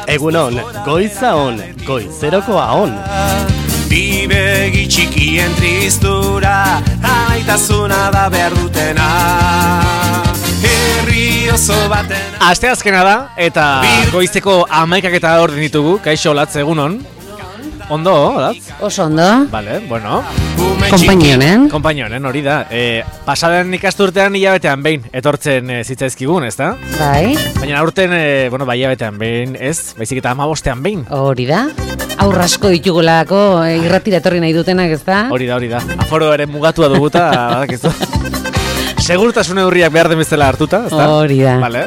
Egunon, goiza on, goizerokoa on. Bibegi txikien tristura, aitasuna da behar dutena. Herri oso baten. Asteazkena da, eta goizeko 11 eta orden ditugu. Kaixo, Latz, egunon. Ondo, Latz? Oso ondo. Vale, bueno. Konpainionen, hori da. Pasaden ikasturtean hilabetean behin etortzen zitzaizkigun, ez da? Bai. Baina aurten, bai hilabetean behin ez, baizik eta 15ean behin. Hori da. Aurrasko ditugulako irratira etorri nahi dutenak, ez da? Hori da. Aforo ere mugatua duguta, badak ez da. Segurtasun neurriak behar den bezala hartuta, ez da? Hori da. Vale.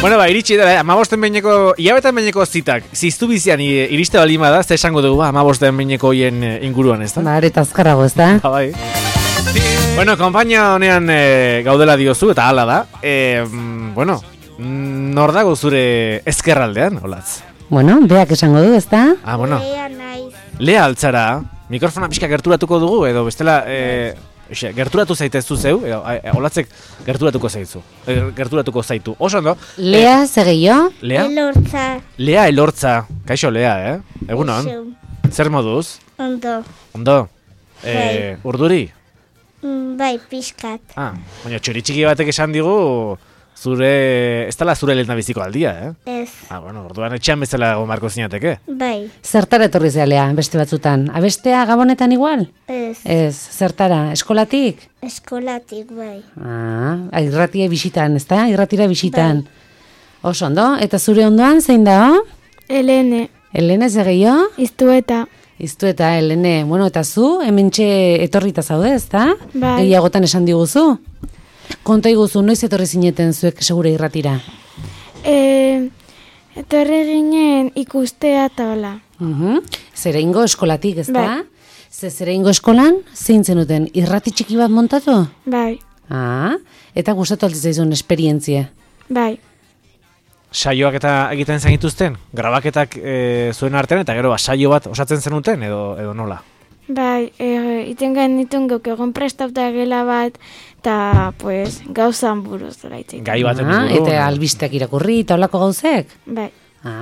Bueno, iritsi da, 15 behineko, hilabetean behineko zitak, ziztu bizian iriste balima da, ze esango dugu, 15 behineko hien inguruan, ez da? Eta azkarrago, ez da? Bai. Bueno, konpainia honean gaudela diozu, eta hala da. Bueno, nor dago zure ezkerraldean, Olatz? Bueno, beak esango du, ez da? Bueno. Lea naiz. Lea altzara, mikrofona pixka gerturatuko dugu, edo bestela... gerturatu zaitezu zeu, Olatzek gerturatuko zaitu. Oso ondo. Lea, segeio? Lea? Elortza. Lea Elortza. Kaixo, Lea, Egunon. Zer moduz? Ondo. Ondo. Bai. Urduri? Bai, pixkat. Baina txori txiki batek esan digu ez dela zure lehena biziko aldia, Ez. Bueno, orduan etxean bezala gomarko zinateke. Bai. Zertara etorri zea, Lea, beste batzutan? Abestea Gabonetan igual? Ez. Zertara? Eskolatik? Eskolatik, bai. Irratia bisitan, ez da? Irratira bisitan. Bai. Oso ondo, eta zure ondoan, zein da? Elene. Elene, segeio? Iztueta. Iztueta, Elene. Bueno, eta zu, hementxe etorrita zaude, ez da? Bai. Egiagotan esan diguzu? Konta iguzu, noiz etorri zineten zuek segure irratira? Etorri ginen ikustea eta hola. Zereingo eskolatik, ez da? Bai. Zereingo eskolan, zein zenuten, irrati txiki bat montatu? Bai. Eta gustatu altzaizun esperientzia? Bai. Saioak eta egiten zenituzten? Grabaketak zuen artean, eta gero saio bat osatzen zenuten, edo nola? Bai, iten genitun guk egon prestauta gela bat, eta pues, gauzan buruz dela itzen. Gai baten inguru. Eta albisteak irakurri, eta holako gauzek? Bai.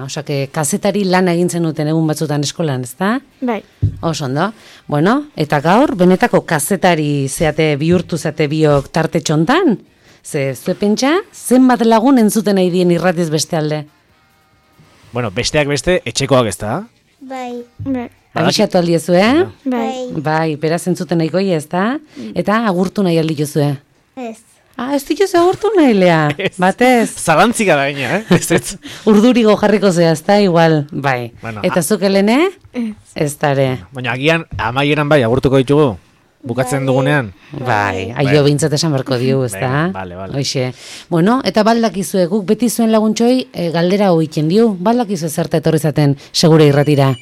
Osake, kazetari lan egin zenuten egun batzutan eskolan, ez da? Bai. Oso ondo. Bueno, eta gaur, benetako kazetari zeate bihurtu zeate biok tarte txontan? Zue pentsa, zenbat lagun entzuten nahi dien irratiz beste alde? Bueno, besteak beste, etxekoak ez da? Bai. Bai. Abixatu aldiezu, Bai. Bai, beraz entzuten nahiko ez da? Eta agurtu nahi aldiozu, Ez. Ez dituzu agurtu nahi, Lea? Batez? Zalantzika da gaina, ez. Urdurigo jarriko zea, ez da, igual, bai. Bueno, eta zuk, Elene? Ez dare. Baina agian, amaieran bai, agurtuko ditugu? Bukatzen dugunean? Bai, aio bintzat esan barko diu, ez da? Bale. Hoxe. Bueno, eta baldakizue, guk beti zuen laguntxoi galdera hoiken diu, baldakizue zerta etorri zaten segure irratira.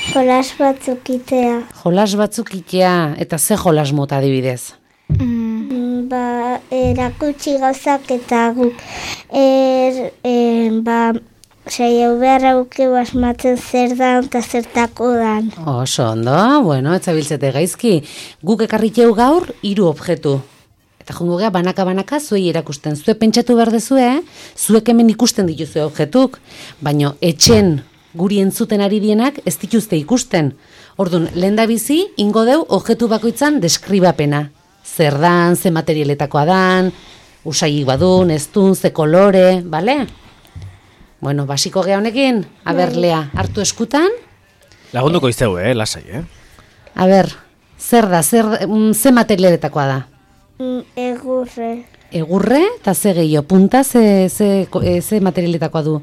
Jolas batzuk itea. Jolas batzuk itea, eta ze jolas mota adibidez? Erakutsi gauzak eta guk saiau beharra gukeu asmatzen zer dan eta zertako dan. Oso ondo, bueno, etzabiltzete gaizki. Guk ekarriteu gaur 3 objektu. Eta jongo gea banaka-banaka zuei erakusten. Zue pentsatu behar dezue, zuek hemen ikusten dituzue objektuk, baino etxen guri entzuten ari dienak ez dituzte ikusten. Orduan, lehendabizi, ingo deu objektu bakoitzan deskribapena. Zer dan, ze materialetakoa dan, usaiik badun, ez dun, ze kolore, bale? Bueno, basiko gea honekin, Lea, hartu eskutan? Lagunduko iztegu, lasai, Zer da, ze materialetakoa da? Egurre. Egurre, eta ze gehiago, punta, ze materialetakoa du?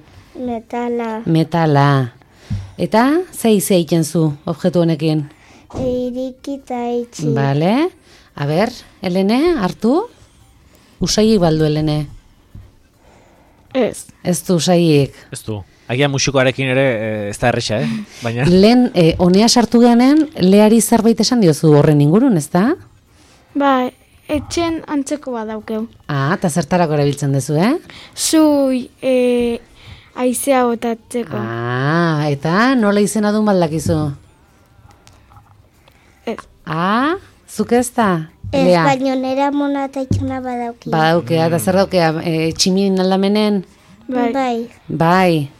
Metala. Eta, ze egiten zu, objektu honekin? Iriki eta itxi. Bale. Elene, hartu? Usaiik baldu, Elene? Ez. Ez du usaiik? Ez du. Agian musikoarekin ere ez da erresa, Baina... Lehen, honea sartu geanen, Leari zerbait esan diozu horren ingurun, ez da? Bai, etxen antzeko badaukeu. Eta zertarako erabiltzen duzu, Zui, aizea botatzeko. Eta nola izena duen baldakizu? Ez. Zuk ez da? Ez, baino nera mona eta itxuna badaukea. Badaukea, eta zer daukea, tximin aldamenen? Bai. Bai.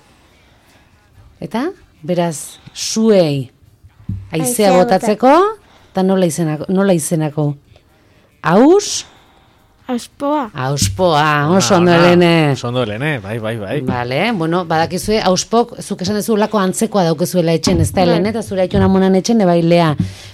Eta, beraz, zuei haizea Haizea botatzeko, eta nola izenako? Aus? Auspoa. Auspoa, oso ondo Helene. Oso ondo Helene, bai. Vale, bueno, badakizue, auspok, zuk esan dezu lako antzekoa daukezuela etxen, ez da Helene, eta zure aitona monan etxen, bai Lea.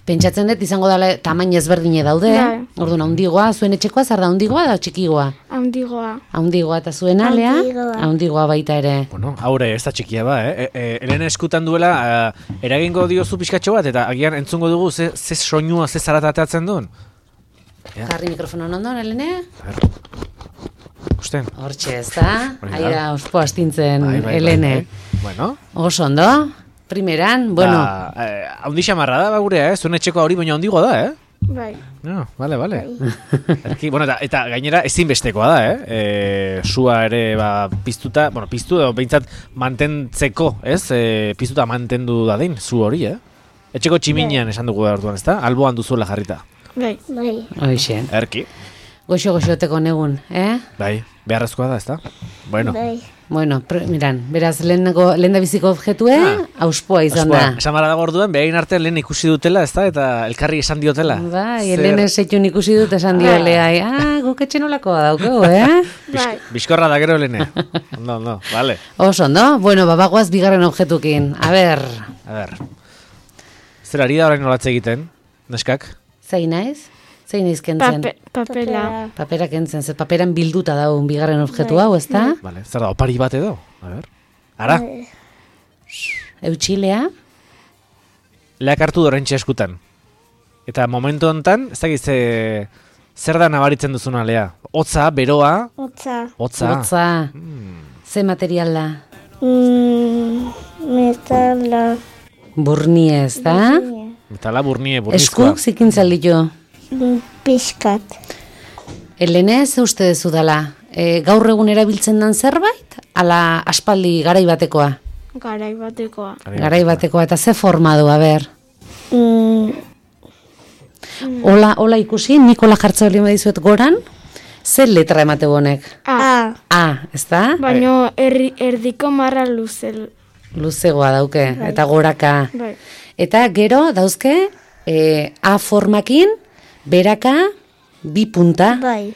Pentsatzen dut, izango dela tamain ezberdine daude, Bai. orduan handigoa, zuen etxekoa, zer da handigoa da txikigoa? Handigoa. Handigoa, eta zuen Lea? Handigoa. Handigoa baita ere. Bueno, haure, ez da txikia ba, Helene eskutan duela, eragingo diozu pixkatxo bat, eta agian entzungo dugu ze soinua, ze zaratateatzen duen. Ja. Jarri mikrofonon ondoan, Helene? Usten. Hortxe, ez da? Hori da. Aira, ospo astintzen, Bai. Helene. Bueno. Oso ondo, primeran, bueno. Haundi xamarra da, gurea, zuen etxeko hori baina handigoa da, Bai. No, vale. Erki, bueno, eta gainera ezinbestekoa da, Sua ere piztuta, piztu edo behintzat mantentzeko, ez? Piztuta mantendu da din, zu hori, Etxeko tximinean esan dugu da orduan, ez da? Alboan duzuela jarrita. Bai. Hoxe. Erki. Goxo-goxoteko negun, Bai, beharrezkoa da, ez da? Bueno. Bai. Bueno, miran, beraz, lehen da biziko objetue, auspoa izan da. Esan bada orduan, behain arte lehen ikusi dutela, ez da? Eta elkarri esan diotela. Bai, Helene setxun ikusi dut esan diolea. Guk etxen olakoa daukegu, Bai. Bizkorra da gero Helene. Ondo, vale. Oso, no? Bueno, babagoaz bigarren objetukin. A ber. Zer ari da orain nolatze egiten, neskak? Zein naiz? Zein naiz kentzen? Papela. Papera kentzen, ze paperan bilduta daun bigarren objektu hau, ez da? Vale, zer da, opari bat edo? A ber. Ara? Eutxilea? Leak hartu dorentxe eskutan. Eta momentu honetan, ez dakiz zer da nabaritzen duzuna Lea? Hotza, beroa? Hotza. Hotza. Ze material da? Metala. Burnie, ez da? Metala burnie, burnizkoa. Eskuk zikintzal ditu? Piskat. Helene, ze uste dezu dela? Gaur egun erabiltzen dan zerbait? Ala aspaldi garai batekoa? Garai batekoa. Garai batekoa, eta ze forma du, a ber? Hola ikusi, Nikola jartza hori dizuet goran, ze letra emate honek? A. A, ez da? Baina erdiko marra Luzegoa dauke, eta goraka. Bai. Eta gero dauzke, A formakin, beraka, bi punta. Bai.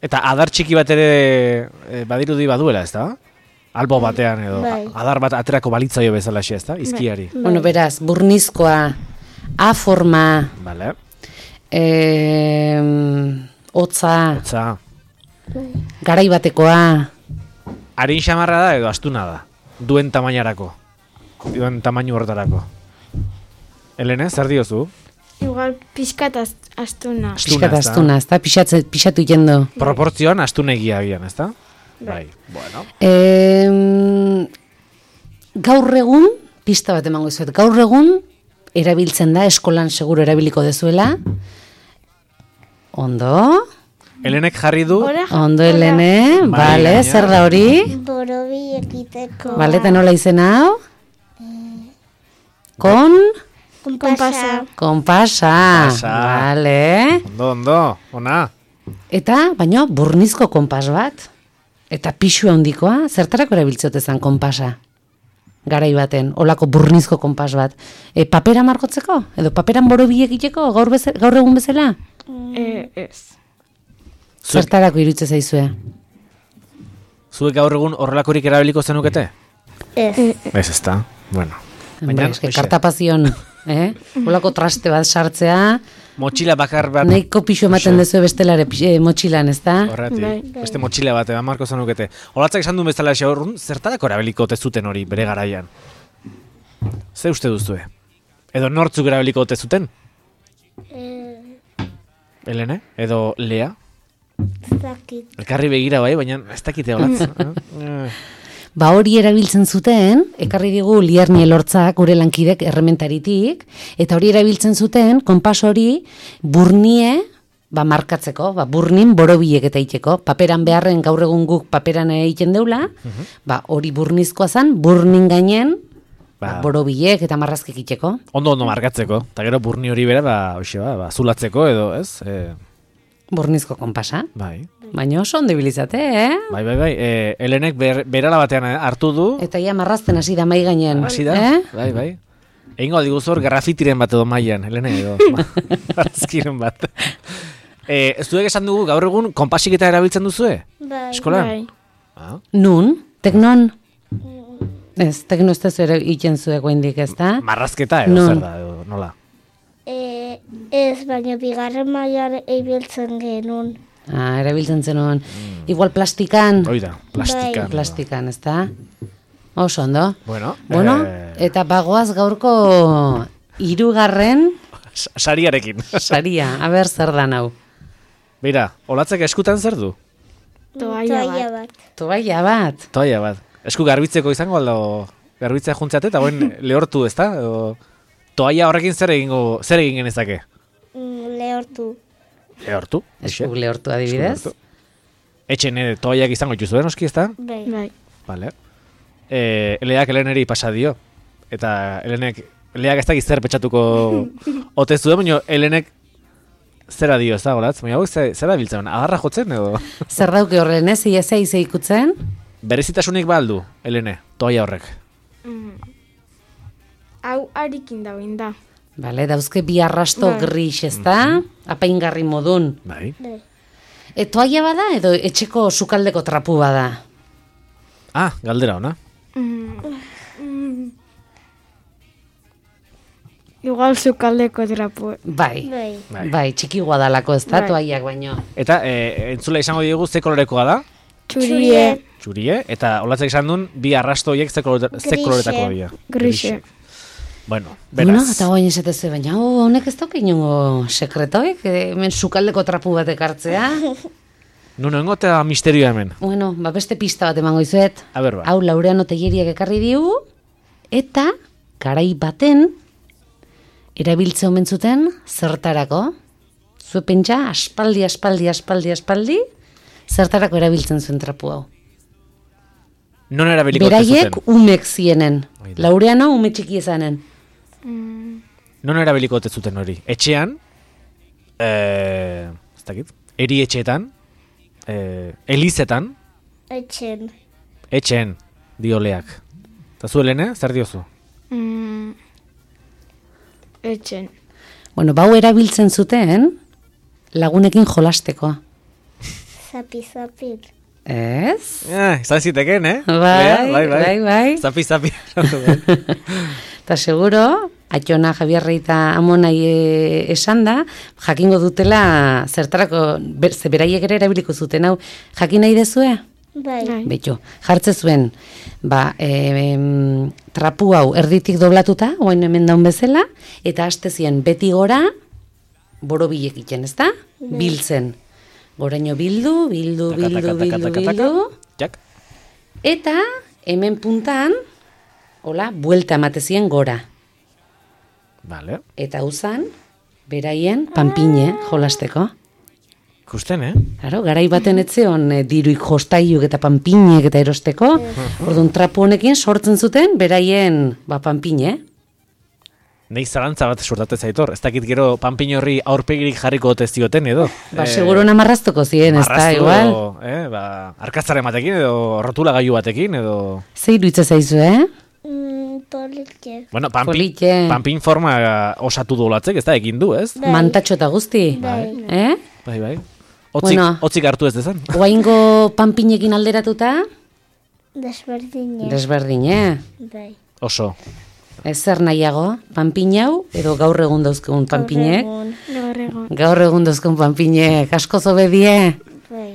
Eta adar txiki bat ere badirudi baduela, ez da? Albo batean edo, Bai. adar bat aterako balitzaio bezala xe, ez da? Izkiari. Bueno, beraz, burnizkoa, A forma, Vale. hotza, Otza. garai batekoa, Arin xamarra da edo astuna da? Duen tamainarako. Duen tamainu horretarako. Helene, zer diozu? Igual pixkat astuna. pixkat ez da? astuna, ez da? Pixatu jendo. Proportzioan astunegia agian, ez da? Bai. Bueno. Gaur egun, pista bat emango izuet, gaur egun, erabiltzen da, eskolan seguro erabiliko dezuela. Ondo? Helenek jarri du, Ondo, Helene, Bai, bale, gaina. zer da hori? Borobi ekiteko. Bale, eta nola izen hau? Konpasa. Konpasa. Konpasa, bale. ondo, ona. Eta, baina, burnizko konpas bat. Eta pixu handikoa, zertarako erabiltzotezan konpasa? Garai baten, olako burnizko konpas bat. Papera margotzeko? Edo paperan borobi egiteko gaur egun bezala? Ez. Zertarako irutze zaizue? Zuek gaur egun horrelakorik erabiliko zenukete? Ez. Ez da, bueno. Baina, kartapazion, olako traste bat sartzea, Motxila bakar bat. nahiko pixu ematen dezu bestelare motxilan, ez da? Horretik, Bai. beste motxila bat, marko zenukete. Olatzak esan duen bezala xaurrun, zertarako erabiliko zuten hori bere garaian? Ze uste duzue? Edo nortzuk erabiliko zuten? Helene? Edo Lea? Zakit. Elkarri begira bai, baina ez dakite olatz. Ba hori erabiltzen zuten, ekarri digu Lierni Elortzak gure lankidek errementaritik, eta hori erabiltzen zuten, konpas hori burnie, markatzeko, burnin borobiek eta iteko. Paperan beharren gaur egun guk paperan egiten deula, hori burnizkoa zan, burnin gainen, borobiek eta marrazkek iteko. Ondo markatzeko, eta gero burni hori bera, zulatzeko edo, ez? Bornizko konpasa. Bai. Baina oso ondo ibilizate, eh? Bai. Helenek berala batean hartu du. Eta ja marrazten hasi da mai gainen. Hasi da? Bai. Egingo aldiguz hor grafitiren bat edo mailan, Helene edo. Marrazkiren bat. Zuek esan dugu gaur egun konpasik eta erabiltzen duzue? Bai. Eskolan? Bai. Ah. Nun? Teknon? Ez, tekno ez da zuere iken zuek oindik, ez da? Marrazketa edo Non. zer da, edo nola? Ez, baina bigarren mailan ibiltzen genuen. Erabiltzen zenuen. Igual plastikan. Hoi da, plastikan. Plastikan, ez da? Oso ondo. Bueno, Eta bagoaz gaurko 3. sariarekin. saria. Aber zer da hau. Beira, olatzek eskutan zer du? Toalla bat. Toalla bat. Toalla bat. Esku garbitzeko izango aldo garbitzea juntziate eta guen lehortu, ezta? Toalla horrekin zer egin genezake? Lehortu. Lehortu? Esku lehortu adibidez. Etxen toallak izango dituzuen noski, ezta? Bai. Vale. Eleak Heleneri pasa dio. Eta Eleak ez dakit zer petxatuko ote zuen, baina Helenek zera dio, ez da, golatz? Baina hau zera biltzen, agarra jotzen edo? Zer dauke horren ez, iezea ikutzen? Berezitasunik baldu, Helene, toalla horrek. Hau harikin dagoen da. Bale, dauzke bi arrasto Bai. gris, ez da? Apaingarri modun. Bai. Toalla bada edo etxeko sukaldeko trapu bada? Ah, galdera ona. Igual zukaldeko trapu. Bai, Bai. bai, txiki guadalako ez da, Bai. toallak baino. Eta entzula izango diogu ze kolorekoa da? Txurie. Txurie, eta olatzek esan duen bi arrasto horiek ze koloretako dira. Grise. Bueno, Bueno, beraz. eta goain esatezu, baina honek ez dauke inongo sekretoik, hemen sukaldeko trapu bat ekartzea. Nuno engotea misterioa hemen. Bueno, beste pista bat emango izuet. A ber, ba. Hau Laureano Telleriak ekarri diu, eta garai baten erabiltze omen zuten zertarako. Zue pentsa, aspaldi, zertarako erabiltzen zuen trapu hau. Non erabiliko ote Beraiek zuten? umek zienen. Hoi da. Laureano ume txiki ezanen. Non erabiliko ote zuten hori? Etxean, ez dakit, eri etxeetan, elizetan, etxeen dioleak. Eta zu, Helene, zer diozu? Etxen. Bueno, bau erabiltzen zuten lagunekin jolasteko. Zapi. Ez? Izan ziteken, eh? Bai, Lea, bai. Zapi. Eta seguro, Aiona, Javierre eta Amonai esan da, jakingo dutela zertarako, ze beraiek ere erabiliko zuten, hau, jakin nahi dezue? Bai. Betxo, jartze zuen, trapu hau erditik doblatuta, oain hemen daun bezala, eta haste zien beti gora, borobilek iten, ez da? Biltzen. Goraino bildu, Jak. eta hemen puntan, hola, buelta ematezien gora. Vale. Eta uzan, beraien, panpine, jolasteko. Ikusten, eh? Claro, garai baten etzeon diruik jostaiuk eta panpinek eta erosteko. Orduan trapu honekin sortzen zuten beraien panpine. Nei zalantza bat sortate zaitor. Ez dakit gero panpin horri aurpegirik jarriko ote zioten edo. Seguro namarraztuko ziren, ez da, igual. Edo, arkatzaren batekin edo rotula gailu batekin edo... Ze iruitze zaizu, Politxe. Bueno, Politxe. panpin forma osatu dolatzek, ez da, egin du, ez? Mantatxo eta guzti. Bai. Bai. Bueno. Otzik hartu ez dezan. Oaingo panpinekin alderatuta, Desberdine. desberdine. Bai. Oso. Ez zer nahiago, panpin hau, edo gaur egun dauzkegun panpinek. Gaur egon. Gaur egun dauzkegun panpinek, asko zobedie. Bai.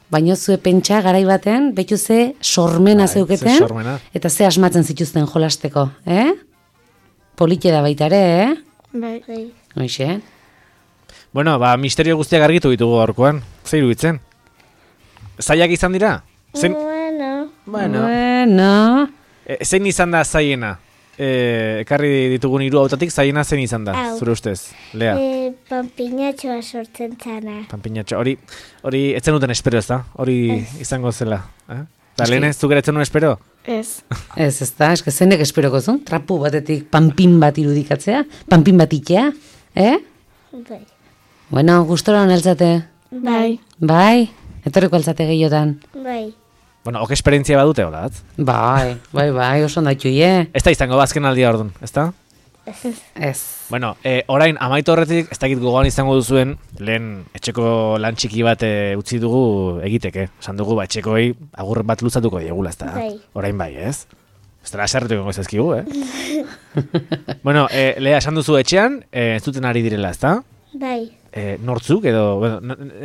Baina zue pentsa garai baten, betu ze sormena zeuketen, ze sormena. eta ze asmatzen zituzten jolasteko, Polite da baita ere, Bai. Hoxe. Bueno, misterio guztiak argitu ditugu gaurkoan. Zer iruditzen? Zaiak izan dira? Bueno. Zein izan da zaiena? Ekarri ditugun 3 hautatik zaiena zein izan da, Hau. zure ustez? Lea, Panpinatxoa sortzen zana. panpinatxo. Hori etzen duten espero, ez da? Hori izango zela. Eta lehen ez zuk ere etzen duen espero? Ez. Ez da, eske zenek esperoko zuen, trapu batetik panpin bat irudikatzea, panpin bat itea, Bai. Bueno, gustora honeltzate. Bai. Bai, etorriko altzate gehiotan. Bai. Bueno, ok esperientzia badute, hola, atz? Bai, oso ondatu je. Ez da izango bazken aldia orduan, ez da? Ez. Bueno, orain amaitu horretik, ez dakit gogoan izango duzuen, lehen etxeko lan txiki bat utzi dugu egiteke. Esan dugu, etxekoi agur bat luzatuko diegula, ez da? Bai. Orain bai, ez? Ez dara eserretu egongo ezazkigu, Bueno, Lea, esan duzu etxean, ez duten ari direla, ez da? Bai. Nortzuk edo...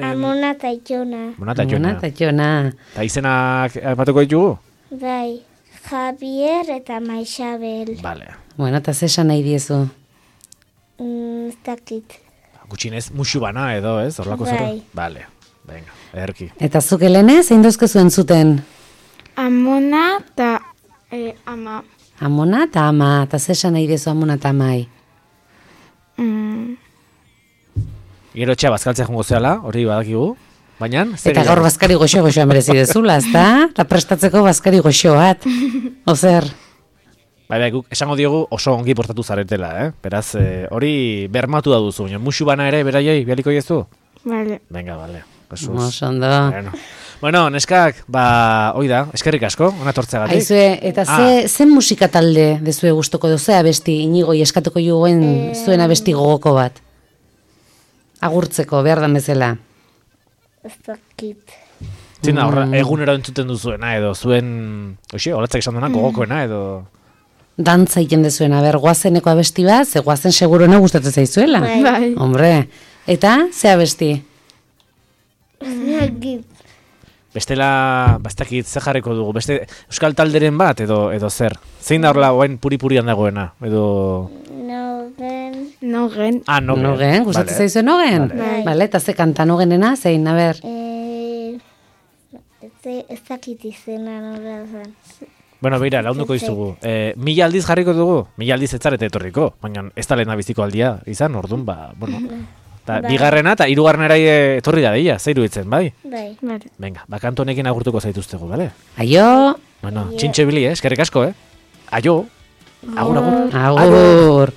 Amona eta Jona. Mona eta Jona. Eta Jona. Eta izenak batuko ditugu? Bai. Javier eta Maixabel. Vale. Bueno, eta zesan nahi diezu. Ez dakit. Gutxinez, musu bana edo, ez? Horlako zero? Bai. Vale, venga, erki. Eta zuk Helene, zein dauzke zuen zuten? Amona eta ama. Amona eta ama, eta zesan nahi diezu amona eta amai. Gero etxea bazkaltzea jongo zehala, hori badakigu. Baina, zer Eta gaur bazkari goxo-goxoa merezi dezula, ezta? Eta prestatzeko bazkari goxo bat. Ozer. Bai, guk esango diogu oso ongi portatu zaretela, Beraz, hori bermatu da duzu, baina musu bana ere beraiei bialiko jezu? Vale. Venga, vale. Oso ondo. Bueno, neskak, hoi da, eskerrik asko, ona tortzeagatik. Aizue, eta zen musika talde dezue gustoko doze abesti, Inigoi eskatuko juguen zuen abesti gogoko bat? Agurtzeko, behar da bezala. Ez dakit. Zina, egunero entzuten duzuena, edo zuen, olatzak esan duena, gogokoena, edo... Dantza egiten dezuena, goazeneko abesti bat, ze goazen seguruena gustatzen zaizuela. Bai. Hombre, eta, ze abesti? Ez dakit. Bestela, bastakit, ze jarriko dugu, beste euskal talderen bat, edo zer? Zein da horla, oain puri-purian dagoena, edo... Nogen. Nogen, gustatzen zaizuen Nogen? Bale, eta ze kanta Nogenena, zein, a ber? Ez dakit izena nola zen. Bueno, beira, launduko izugu. 1000 aldiz jarriko dugu? 1000 aldiz ez zarete etorriko, baina ez da lehena biziko aldia izan, orduan, bueno. Ta, bigarrena eta hirugarrenera etorri da deia, zeiru itzen, bai? Bai. Venga, bakanto honekin agurtuko zaituztegu, bale? Aio! Bueno, txintxe bili, eskerrik asko, Aio! Agur, agur. Agur!